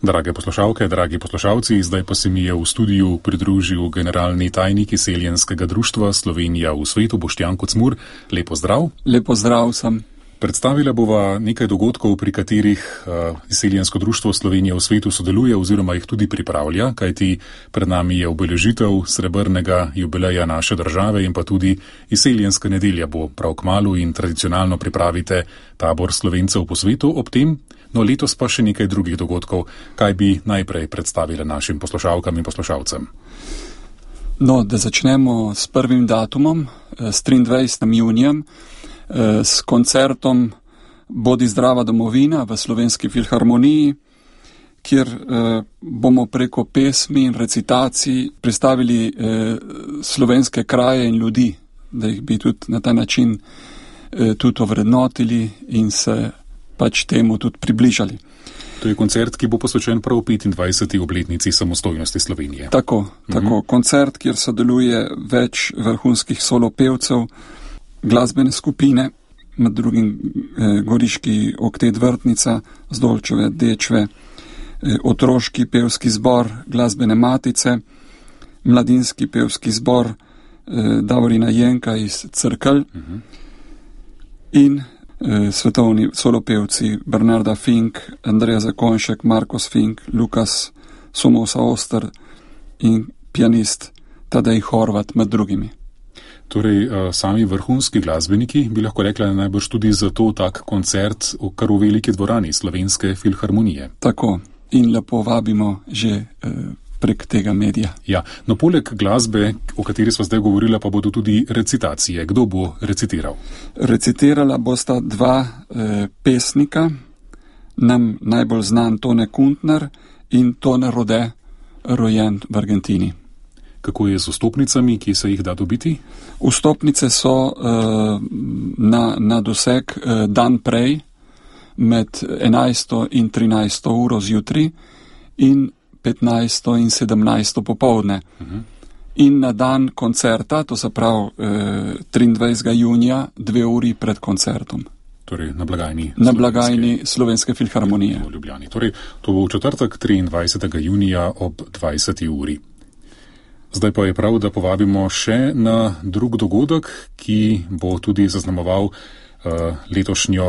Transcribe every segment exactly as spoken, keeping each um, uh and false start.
Drage poslušalke, dragi poslušalci, zdaj pa se mi je v studiu pridružil generalni tajnik Izseljenskega društva Slovenija v svetu, Boštjan Kocmur. Lep pozdrav. Lep pozdrav sem. Predstavila bova nekaj dogodkov, pri katerih uh, Izseljensko društvo Slovenija v svetu sodeluje oziroma jih tudi pripravlja, kajti pred nami je obeležitev srebrnega jubileja naše države in pa tudi Izseljenska nedelja bo prav kmalu in tradicionalno pripravite tabor Slovencev po svetu ob tem. No, letos pa še nekaj drugih dogodkov. Kaj bi najprej predstavili našim poslušalkam in poslušalcem? No, da začnemo s prvim datumom, s triindvajsetim junijem, s koncertom Bodi zdrava domovina v Slovenski filharmoniji, kjer bomo preko pesmi in recitacij predstavili slovenske kraje in ljudi, da jih bi tudi na ta način tudi ovrednotili in se pač temu tudi približali. To je koncert, ki bo posvečen prav petindvajseti obletnici samostojnosti Slovenije. Tako, tako. Mhm. Koncert, kjer sodeluje več vrhunskih solopevcev, glasbene skupine, med drugim eh, Goriški oktet Vrtnica, Zdolčeve, Dečve, eh, otroški pevski zbor, glasbene matice, mladinski pevski zbor eh, Davorina Jenka iz Crkelj mhm. in svetovni solopevci Bernarda Fink, Andreja Zakonšek, Markos Fink, Lukas Somosa Oster in pianist Tadej Horvat med drugimi. Torej, sami vrhunski glasbeniki bi lahko rekla najbrž tudi zato tak koncert v kar v veliki dvorani Slovenske filharmonije. Tako, in lepo vabimo že eh, prek tega medija. Ja, no poleg glasbe, o kateri smo zdaj govorila, pa bodo tudi recitacije. Kdo bo recitiral? Recitirala bosta dva eh, pesnika, nam najbolj znan Tone Kuntner in Tone Rode, rojen v Argentini. Kako je z vstopnicami, ki se jih da dobiti? Vstopnice so eh, na, na doseg eh, dan prej, med enajsto in trinajsto uro zjutraj in petnajsto in sedemnajsto popovdne. Uh-huh. In na dan koncerta, to se pravi eh, triindvajsetega junija, dve uri pred koncertom. Torej na blagajni, na blagajni Slovenske filharmonije. V Ljubljani. Torej, to bo v četrtek triindvajsetega junija ob dvajseti uri. Zdaj pa je prav, da povabimo še na drug dogodek, ki bo tudi zaznamoval Uh, letošnjo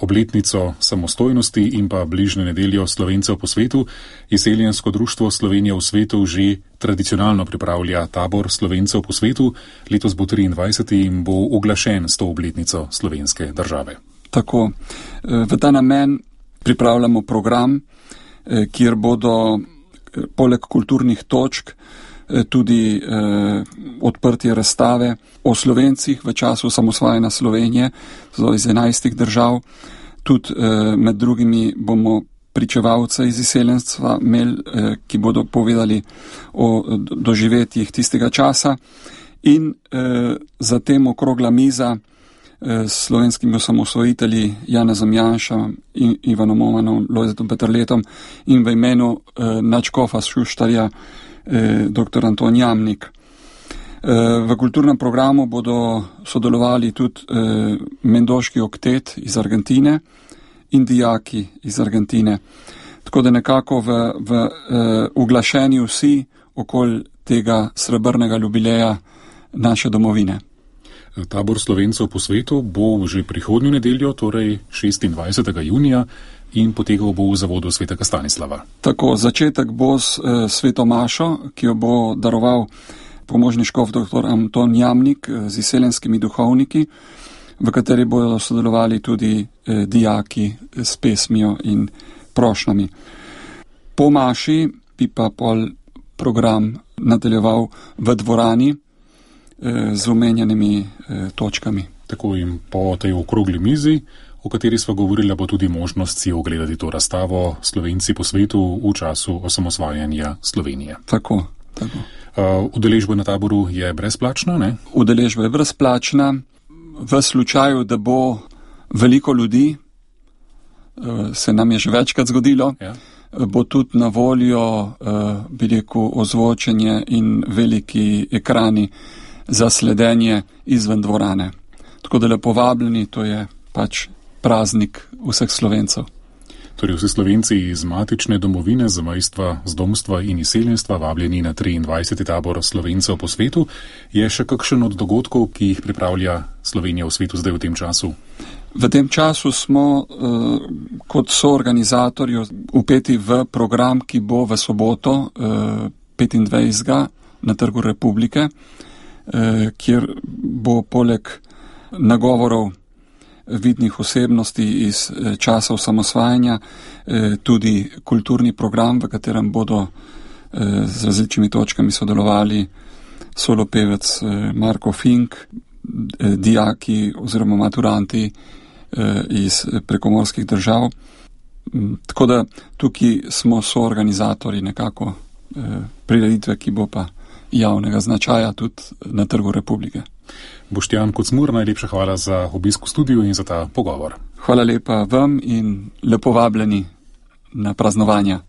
obletnico samostojnosti in pa bližnjo nedeljo Slovencev po svetu. Izseljensko društvo Slovenija v svetu že tradicionalno pripravlja tabor Slovencev po svetu. Letos bo triindvajseti in bo oglašen s to obletnico slovenske države. Tako. V ta namen pripravljamo program, kjer bodo poleg kulturnih točk tudi eh, odprtje razstave o Slovencih v času samosvajanja Slovenije, zelo iz enajstih držav. Tudi eh, med drugimi bomo pričevalce iz izseljenstva imeli, eh, ki bodo povedali o doživetjih tistega časa. In eh, zatem okrogla miza eh, s slovenskimi osamosvojitelji Janezom Janšom in Ivanom Omanom, Lojzetom Peterletom in v imenu eh, nadškofa Šuštarja dr. Anton Jamnik. V kulturnem programu bodo sodelovali tudi Mendoški oktet iz Argentine in dijaki iz Argentine. Tako da nekako v, v uglašeni vsi okoli tega srebrnega jubileja naše domovine. Tabor Slovencev po svetu bo že prihodnjo nedeljo, torej šestindvajsetega junija, in potekal bo v zavodu svetega Stanislava. Tako, začetek bo s e, sveto mašo, ki jo bo daroval pomožni škof dr. Anton Jamnik z izseljenskimi duhovniki, v kateri bodo sodelovali tudi e, dijaki s pesmijo in prošnjami. Po maši bi pa pol program nadaljeval v dvorani e, z omenjenimi e, točkami. Tako, in po tej okrogli mizi, o kateri sva govorila, bo tudi možnost si ogledati to razstavo Slovenci po svetu v času osamosvajanja Slovenije. Tako, tako. Uh, udeležba na taboru je brezplačna, ne? Udeležba je brezplačna. V slučaju, da bo veliko ljudi, uh, se nam je že večkrat zgodilo, ja. Bo tudi na voljo, uh, bi rekel, ozvočenje in veliki ekrani za sledenje izven dvorane. Tako da lepo vabljeni, to je pač praznik vseh Slovencev. Torej vsi Slovenci iz matične domovine, zamejstva, zdomstva in izseljenstva vabljeni na triindvajseti tabor Slovencev po svetu. Je še kakšen od dogodkov, ki jih pripravlja Slovenija v svetu zdaj v tem času? V tem času smo uh, kot soorganizatorji vpeti v program, ki bo v soboto uh, petindvajsetega na Trgu Republike, uh, kjer bo poleg nagovorov vidnih osebnosti iz uh, časa osamosvajanja uh, tudi kulturni program, v katerem bodo uh, z različnimi točkami sodelovali solopevec uh, Marko Fink, uh, dijaki oziroma maturanti iz prekomorskih držav. Tako da tukaj smo soorganizatorji nekako prireditve, ki bo pa javnega značaja tudi na Trgu Republike. Boštjan Kocmur, najlepša hvala za obisk v studiu in za ta pogovor. Hvala lepa vam in lepo vabljeni na praznovanja.